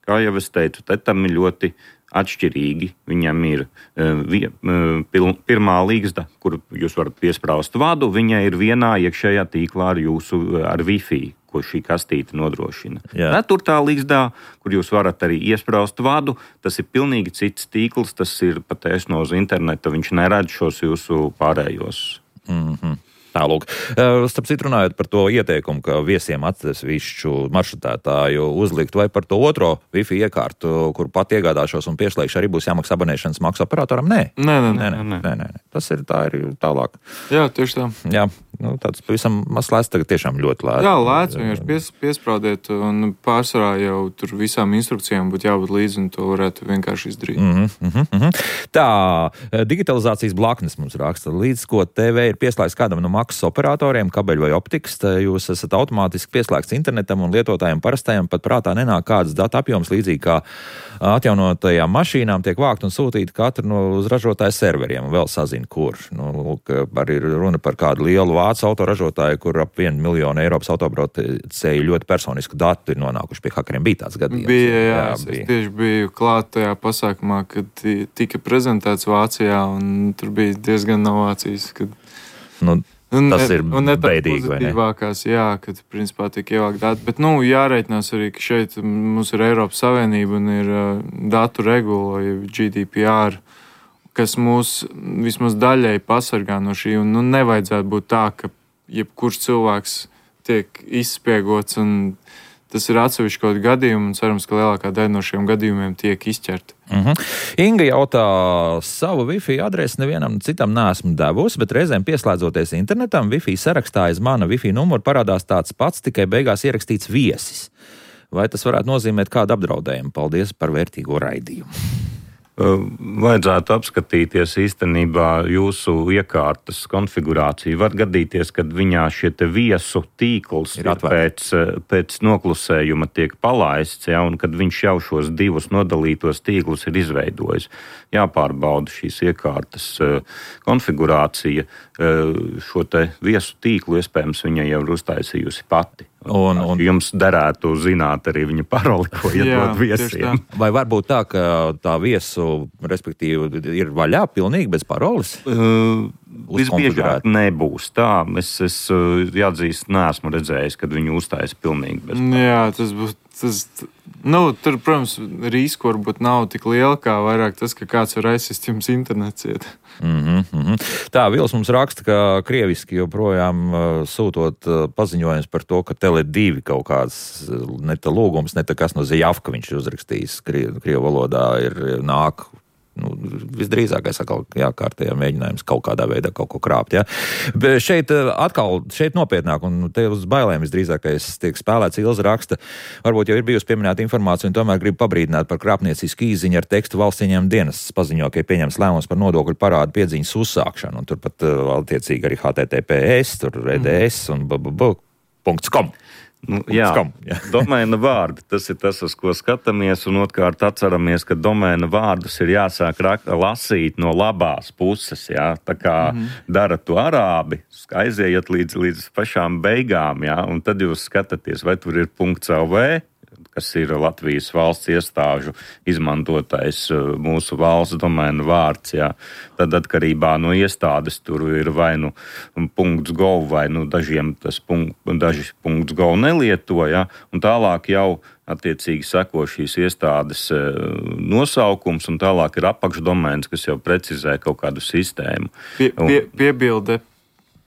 kā jau es teicu, tetam ir ļoti atšķirīgi. Viņam ir uh, pirmā līgsta, kur jūs varat piesprāst vadu, viņai ir vienā iekšējā tīklā ar jūsu ar Wi-Fi, ko šī kastīte nodrošina. Ceturtā līgstā, kur jūs varat arī iesprāst vadu, tas ir pilnīgi cits tīkls, tas ir patiesno uz interneta, viņš neredz šos jūsu pārējos. Mm-hmm. Tālūk. Starp citu runājot par to ieteikumu, ka viesiem atsevišķu maršrutētāju uzlikt, vai par to otro Wi-Fi iekārtu, kur pat iegādāšos un pieslēgšu, arī būs jāmaksā abonēšanas maksu operatoram? Nē. Nē, nē, nē, nē, nē, nē. Tas ir tā ir tālāk. Jā, tieši tā. Jā, nu, tāds pavisam maz lēts, tagad tiešām ļoti lēts. Jā, lēts, vienkārši pies, piesprādiet, un pārsvarā jau tur visām instrukcijām būtu jābūt līdzi, un to varētu vienkārši izdarīt. Mm-hmm, mm-hmm. Tā, digitalizācijas blaknes mums raksta, līdz ko T V ir pieslēgts kādam no maksas operatoriem, kabeļu vai optikas, jūs esat automātiski pieslēgts internetam un lietotājiem parastajiem pat prātā nenāk kādas datu apjoms, līdzīgi kā atjaunotajām mašīnām tiek vākt un sūtīti katru no uz ražotāju serveriem, un vēl sazina, kur. Nu, arī runa par kādu lielu vācu autoražotāju, kur ap vienu miljonu Eiropas autobraucēju ļoti personisku datu ir nonākuši pie hakeriem. Bija tāds gadījums. Bija, jā, jā es, bija. Es tieši biju klāt tajā pasākumā, kad tika prezentēts Vācijā, un tur bija diezgan novācijas, kad... Nu, Un tas ne, ir un ne beidīgi, vai ne? Jā, kad principā tiek ievākt dati. Bet, nu, jāreitinās arī, ka šeit mums ir Eiropas Savienība un ir uh, datu regula, G D P R, kas mūs vismaz daļai pasargā no šī. Un, nu, nevajadzētu būt tā, ka jebkurš cilvēks tiek izspiegots, un tas ir atsevišķi kaut kādi gadījumi, un cerams, ka lielākā daļa no šiem gadījumiem tiek izķerti. Mm-hmm. Inga jautā, savu Wi-Fi adresi nevienam citam neesmu devusi, bet reizēm pieslēdzoties internetam, Wi-Fi sarakstā aiz mana Wi-Fi numuru parādās tāds pats, tikai beigās ierakstīts viesis. Vai tas varētu nozīmēt kādu apdraudējumu? Paldies par vērtīgo raidījumu. Vajadzētu apskatīties īstenībā jūsu iekārtas konfigurāciju. Var gadīties, kad viņā šie te viesu tīkls ir pēc, pēc noklusējuma tiek palaists, ja, un kad viņš jau šos divus nodalītos tīklus ir izveidojis. Jāpārbauda šīs iekārtas konfigurācija. Šo te viesu tīklu iespējams viņa jau ir uztaisījusi pati. Un, un jums derētu zināt arī viņa paroli, ko iedod viesiem. Vai varbūt tā, ka tā viesu, respektīvi, ir vaļā pilnīgi bez paroles? Uh, visbiežāk nebūs tā. Es, es jāatzīst, neesmu redzējis, kad viņu uztaisa pilnīgi bez paroles. Jā, tas būs. Tas, nu, tur, protams, risku varbūt nav tik liela, kā vairāk tas, ka kāds var aizsist jums internets iet. Mm -hmm. Tā, Vils mums raksta, ka krieviski joprojām uh, sūtot uh, paziņojums par to, ka Tele divi kaut kāds uh, ne tā lūgums, ne tā kas no Zajavka viņš uzrakstījis Krievu krievu valodā ir nāk. Nu, visdrīzākais atkal jākārtējā mēģinājums kaut kādā veidā kaut ko krāpt. Ja? Bet šeit atkal, šeit nopietnāk, un te uz bailēm visdrīzākais tiek spēlēts. Ilza raksta, varbūt jau ir bijusi pieminēta informācija, un tomēr grib pabrīdināt par krāpniecisku īziņu ar tekstu valsts ieņēmuma dienests paziņo, ka ir pieņems lēmums par nodokļu parādu piedziņas uzsākšanu, un turpat attiecīgi arī H T T P S, tur R D S un b b b punkts com. Nu, jā, jā. Domēna vārdi, tas ir tas, uz ko skatāmies, un otrkārt atceramies, ka domēna vārdus ir jāsāk lasīt no labās puses, jā, tā kā mm-hmm. dara to arābi, aiziet līdz, līdz pašām beigām, jā, un tad jūs skatāties, vai tur ir .lv, kas ir Latvijas valsts iestāžu izmantotais mūsu valsts domēna vārds, jā. Tad atkarībā no iestādes tur ir vai nu .gov, vai nu dažiem tas punkt, daži .gov nelieto, jā, un tālāk jau attiecīgi seko šīs iestādes nosaukums, un tālāk ir apakšdomēns, kas jau precizē kaut kādu sistēmu. Pie, pie, piebilde.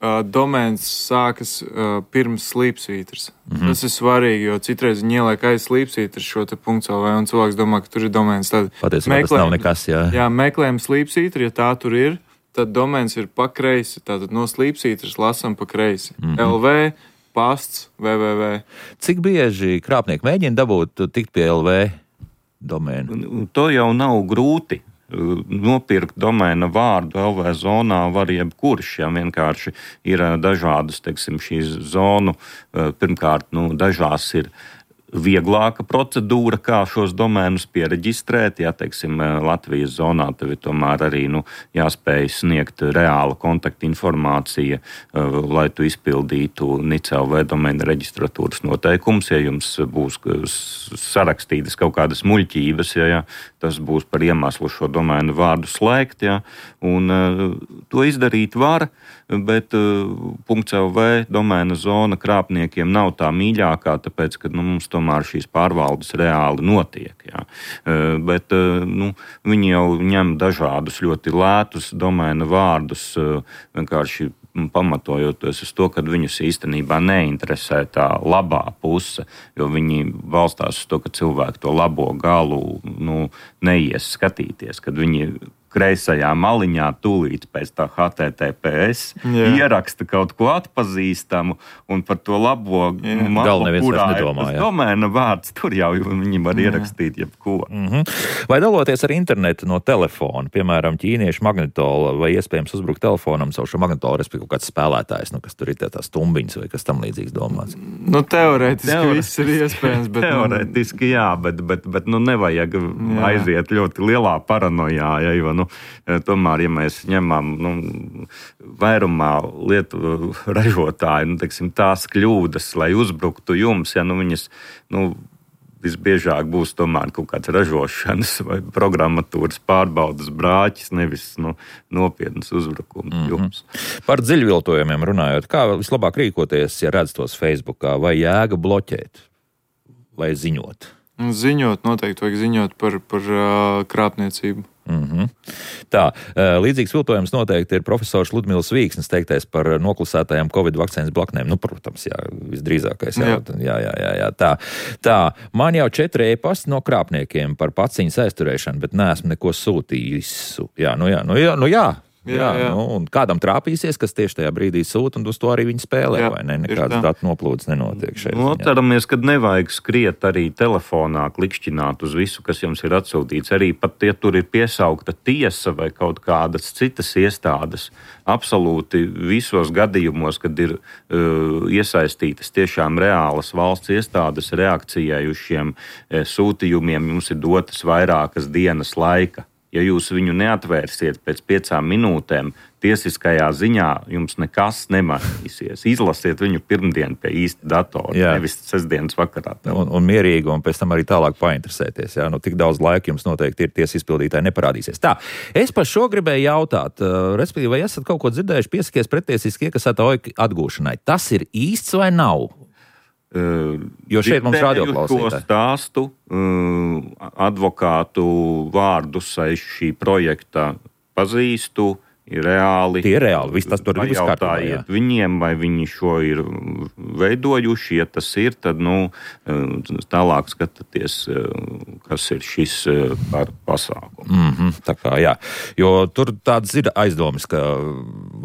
Uh, domēns sākas uh, pirms slīpsvītras. Mm-hmm. Tas ir svarīgi, jo citreiz viņi ieliek aiz slīpsvītras šo te .lv, un cilvēks domā, ka tur ir domēns. Tad patiesībā tas nav nekas, jā. Jā, meklējam slīpsvītru, ja tā tur ir, tad domēns ir pa kreisi. Tātad no slīpsvītras lasam pa kreisi. Mm-hmm. L V, pasts, w w w. Cik bieži krāpnieki mēģina dabūt tikt pie L V domēnu? To jau nav grūti. Nopirkt domēna vārdu L V zonā var jebkurš, ja vienkārši ir dažādas, teiksim, šīs zonu, pirmkārt, nu, dažās ir vieglāka procedūra, kā šos domēnus piereģistrēt, ja, teiksim, Latvijas zonā tev ir tomēr arī, nu, jāspēj sniegt reāla kontakta informācija, lai tu izpildītu N I C L V domēna reģistratūras noteikums, ja jums būs sarakstītas kaut kādas muļķības, ja, ja tas būs par iemeslu šo domēnu vārdu slēgt, ja, un uh, to izdarīt var, bet uh, .lv domēna zona krāpniekiem nav tā mīļākā, tāpēc, ka nu, mums tomēr šīs pārvaldes reāli notiek. Ja. Uh, bet uh, nu, viņi jau ņem dažādus ļoti lētus domēna vārdus, uh, vienkārši pamatojoties uz to, ka viņus īstenībā neinteresē tā labā puse, jo viņi balstās uz to, ka cilvēki to labo galu nu, neies skatīties, kad viņi kreisajā maliņā tūlīt pēc tā H T T P S Jā. ieraksta kaut ko atpazīstamu un par to labo malu, kurā ir tas domēna vārds, tur jau viņi var Jā. ierakstīt jebko. Mm-hmm. Vai daloties ar internetu no telefona, piemēram, ķīniešu magnetola, vai iespējams uzbrukt telefonam savu šo magnetolu, respektīvi kaut kāds spēlētājs, nu, kas tur ir tā, tā stumbiņas vai kas tam līdzīgs domāts? Nu, teorētiski Teore... viss ir iespējams, bet... Teorētiski jā, bet, bet, bet nu, nevajag jā. aiziet ļoti lielā paranojā, ja, jo, nu, tomēr, ja mēs ņemam nu, vairumā lietu ražotāju, nu, teiksim, tās kļūdas, lai uzbruktu jums, ja nu, viņas nu, visbiežāk būs tomēr kaut kāds ražošanas vai programmatūras pārbaudas brāķis, nevis nu, nopietnas uzbrukums mm-hmm. jums. Par dziļviltojumiem runājot, kā vislabāk rīkoties, ja redz tos Facebookā, vai jēga bloķēt, vai ziņot? Ziņot, noteikti vajag ziņot par, par uh, krāpniecību. Mm-hmm. Tā, līdzīgs viltojums noteikti ir profesors Ludmils Vīksnis teiktais par noklusētajām Covid vakcīnas blaknēm. Nu, protams, jā, visdrīzākais. Jā, jā, jā, jā, jā. Tā, tā, man jau četri e-pasti no krāpniekiem par paciņas aizturēšanu, bet neesmu neko sūtījis. Jā, nu jā, nu jā, nu jā. Jā, jā, jā. Nu, un kādam trāpīsies, kas tieši tajā brīdī sūta, un uz to arī viņi spēlē, jā, vai ne? Nekādas datu noplūdes nenotiek šeit. Nu, atceramies, kad nevajag skriet arī telefonā, klikšķināt uz visu, kas jums ir atsūtīts. Arī pat, ja tur ir piesaukta tiesa vai kaut kādas citas iestādes, absolūti visos gadījumos, kad ir uh, iesaistītas tiešām reālas valsts iestādes reakcijai uz šiem uh, sūtījumiem, jums ir dotas vairākas dienas laika. Ja jūs viņu neatvērsiet pēc piecām minūtēm, tiesiskajā ziņā jums nekas nemainīsies. Izlasiet viņu pirmdien pie īsta datora, jā, nevis sestdienas vakarā. Un, un mierīgi, un pēc tam arī tālāk painteresēties. Jā? Nu, tik daudz laika jums noteikti ir tiesas izpildītāji neparādīsies. Tā, es par šo gribēju jautāt, uh, respektīvi, vai esat kaut ko dzirdējuši piesakies pretiesiski iekasētā oika atgūšanai? Tas ir īsts vai nav? Uh, jo šeit mums radioklausītāji. To stāstu, uh, advokātu vārdus aiz šī projekta pazīstu, ir reāli. Tie ir reāli, viss tas tur ir viss kārtībā. Jautājiet viņiem, vai viņi šo ir veidojuši, ja tas ir, tad, nu, tālāk skatāties, kas ir šis par pasākumu. Mm-hmm, tā kā, jā. Jo tur tādas ir aizdomas, ka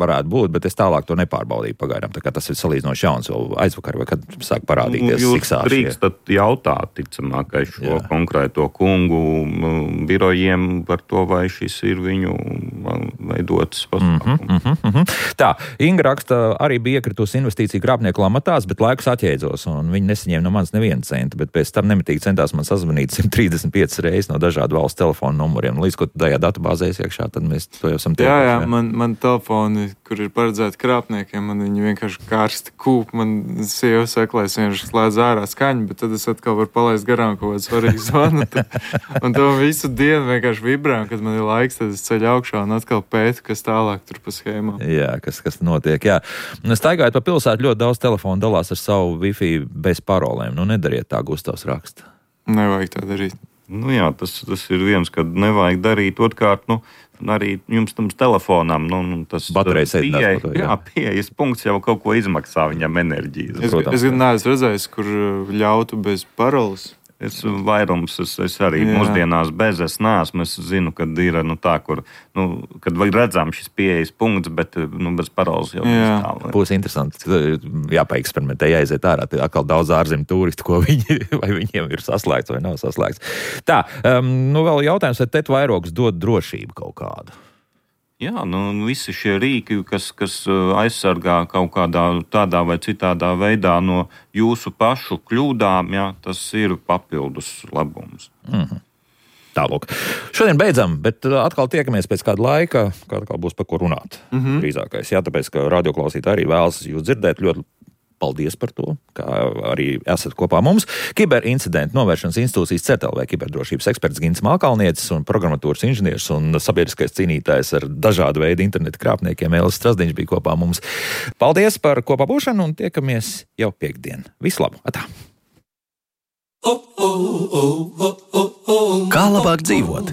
varētu būt, bet es tālāk to nepārbaudīju pagaidām, tā kā tas ir salīdzinoši jauns, jo aizvakar vai kad sāk parādīties nu, siksāšie. Jūs drīkstat jautāt, ticamākai šo jā. konkrēto kungu birojiem par to, vai šis ir viņu veidot. Mm-hmm, mm-hmm. Tā, Inga raksta, arī bija iekritusi investīciju krāpnieku lamatās, bet laikus atjēdzos, un viņi nesaņēma no manis nevienu centu, bet pēc tam nemitīgi centās man sazvanīt simt trīsdesmit piecas reizes no dažādu valstu telefonu numuriem. Līdz, ko tajā datubāzē iekšā, tad mēs to jau esam tieši. Jā, jā, man, man telefoni, kur ir paredzēti krāpniekiem, man viņi vienkārši karsti kūp, man sieva saka, lai es vienkārši slēdz ārā skaņu, bet tad es atkal varu palaist garām kaut kādu svarīgu zvanu, un to visu dienu vienkārši vibrē, un kad man ir laiks, tad es ceļu augšā un atkal pētu, kas tālāk tur pa schēmām. Jā, kas, kas notiek, jā. Staigājot pa pilsētu, ļoti daudz telefonu dalās ar savu Wi-Fi bez parolēm. Nu, nedariet tā, Gustavs raksta. Nevajag tā darīt. Nu jā, tas, tas ir viens, kad nevajag darīt. Otkārt, nu, arī jums tam telefonam, nu, tas baterijas pieeja, jā, jā, pieejas punkts jau kaut ko izmaksā viņam enerģiju. Es, es gan neesmu redzējis, kur ļautu bez paroles. Es vairums, es, es arī jā. mūsdienās bez es neesmu. Es zinu, kad ir nu, tā, kur, nu, kad redzam šis pieejas punkts, bet nu, bez paroles jau nestāv. Būs interesanti, jāpaeksperimentē, jāiziet ārā. Tad atkal daudz ārzemju turistu, ko viņi, vai viņiem ir saslēgts vai nav saslēgts. Tā, um, nu vēl jautājums, vai tet vairogs dod drošību kaut kādu? Jā, nu, visi šie rīki, kas, kas aizsargā kaut kādā tādā vai citādā veidā no jūsu pašu kļūdām, jā, tas ir papildus labums. Mm-hmm. Tālūk. Šodien beidzam, bet atkal tiekamies pēc kāda laika, kā atkal būs par ko runāt. Mm-hmm. Drīzākais, jā, tāpēc, ka radioklausītāji arī vēlas jūs dzirdēt ļoti. Paldies par to, kā arī esat kopā mums. Kiberincidentu novēršanas institūcijas C E T L V kiberdrošības eksperts Gints Malkalnietis un programmatūras inženieris un sabiedriskais cīnītājs ar dažādu veidu interneta krāpniekiem Elvis Strasdiņš bija kopā mums. Paldies par kopā būšanu un tiekamies jau piekdien. Visu labu! Atā! Kā labāk dzīvot?